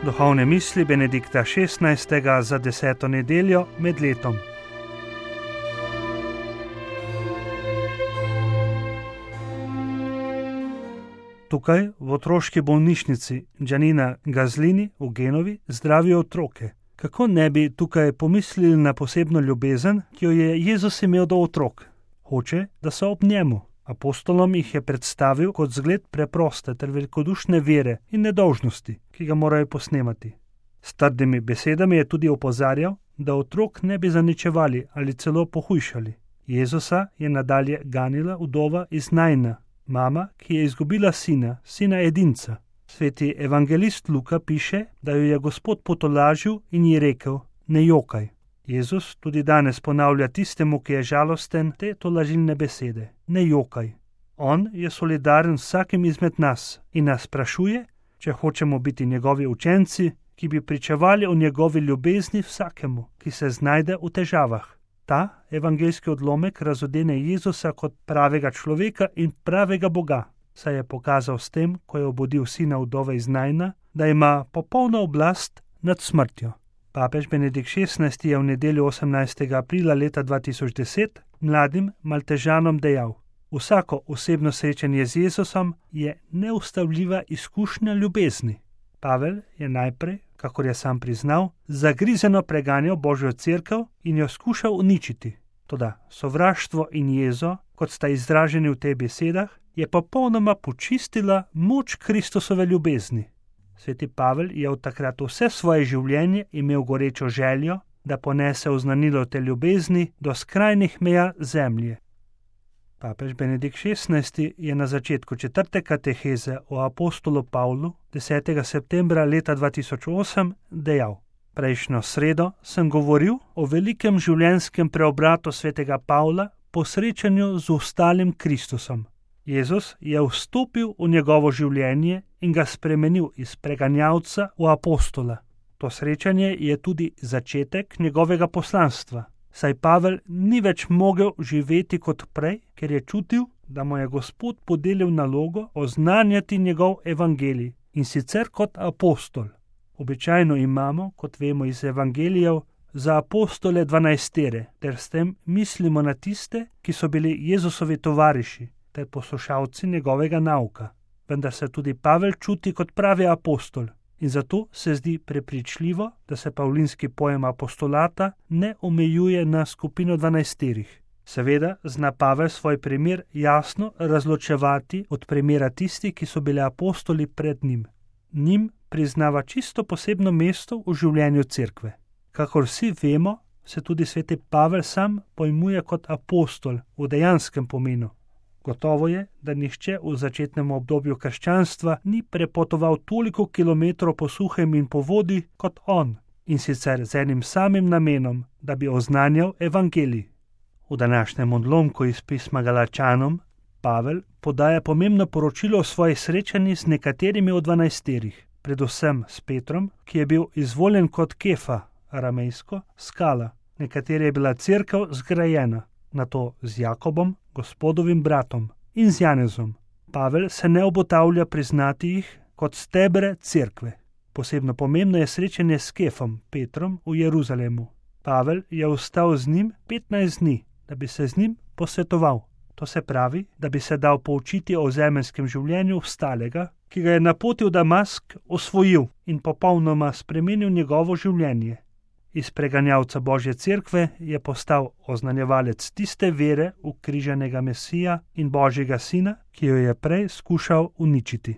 Duhovne misli Benedikta XVI. Za 10. nedeljo med letom. Tukaj v otroški bolnišnici Giannina Gaslini v Genovi zdravijo otroke. Kako ne bi tukaj pomislili na posebno ljubezen, ki jo je Jezus imel do otrok? Hoče, da so ob njemu. Apostolom jih je predstavil kot zgled preproste ter velikodušne vere in nedolžnosti, ki ga morajo posnemati. S trdimi besedami je tudi opozarjal, da otrok ne bi zaničevali ali celo pohujšali. Jezusa je nadalje ganila vdova iz Naina, mama, ki je izgubila sina edinca. Sveti evangelist Luka piše, da jo je Gospod potolažil in ji rekel: ne jokaj. Jezus tudi danes ponavlja tistemu, ki je žalosten, te tolažilne besede: ne jokaj. On je solidaren z vsakim izmed nas in nas sprašuje, če hočemo biti njegovi učenci, ki bi pričevali o njegovi ljubezni vsakemu, ki se znajde v težavah. Ta evangeljski odlomek razodene Jezusa kot pravega človeka in pravega Boga, saj je pokazal s tem, ko je obudil sina vdove iz Naina, da ima popolno oblast nad smrtjo. Papež Benedikt XVI. Je v nedeljo 18. aprila leta 2010 mladim Maltežanom dejal: vsako osebno srečanje z Jezusom je neustavljiva izkušnja ljubezni. Pavel je najprej, kakor je sam priznal, zagrizeno preganjal Božjo cerkev in jo skušal uničiti. Toda sovraštvo in jezo, kot sta izraženi v teh besedah, je popolnoma počistila moč Kristusove ljubezni. Sveti Pavel je od takrat vse svoje življenje imel gorečo željo, da ponese oznanilo te ljubezni do skrajnih meja zemlje. Papež Benedikt XVI. Je na začetku 4. kateheze o apostolu Pavlu 10. septembra leta 2008 dejal: prejšnjo sredo sem govoril o velikem življenjskem preobratu svetega Pavla po srečanju z ostalim Kristusom. Jezus je vstopil v njegovo življenje in ga spremenil iz preganjalca v apostola. To srečanje je tudi začetek njegovega poslanstva, saj Pavel ni več mogel živeti kot prej, ker je čutil, da mu je Gospod podelil nalogo oznanjati njegov evangelij, in sicer kot apostol. Običajno imamo, kot vemo iz evangelijev, za apostole 12, ter s tem mislimo na tiste, ki so bili Jezusovi tovariši ter poslušalci njegovega nauka. Vendar se tudi Pavel čuti kot pravi apostol in zato se zdi prepričljivo, da se pavlinski pojem apostolata ne omejuje na skupino 12. Seveda zna Pavel svoj primer jasno razločevati od primera tistih, ki so bili apostoli pred njim. Njim priznava čisto posebno mesto v življenju cerkve. Kakor vsi vemo, se tudi sveti Pavel sam pojmuje kot apostol v dejanskem pomenu. Gotovo je, da nihče v začetnem obdobju krščanstva ni prepotoval toliko kilometrov po suhem in po vodi kot on, in sicer z enim samim namenom, da bi oznanjal evangelij. V današnjem odlomku iz pisma Galačanom Pavel podaja pomembno poročilo o svojih srečanjih z nekaterimi od 12, predvsem s Petrom, ki je bil izvoljen kot Kefa, aramejsko skala, na kateri je bila cerkev zgrajena, nato z Jakobom, Gospodovim bratom, in z Janezom. Pavel se ne obotavlja priznati jih kot stebre cerkve. Posebno pomembno je srečanje s Kefom, Petrom, v Jeruzalemu. Pavel je ostal z njim 15 dni, da bi se z njim posvetoval. To se pravi, da bi se dal poučiti o zemeljskem življenju ostalega, ki ga je na poti v Damask osvojil in popolnoma spremenil njegovo življenje. Iz preganjalca Božje cerkve je postal oznanjevalec tiste vere ukrižanega Mesija in Božjega sina, ki jo je prej skušal uničiti.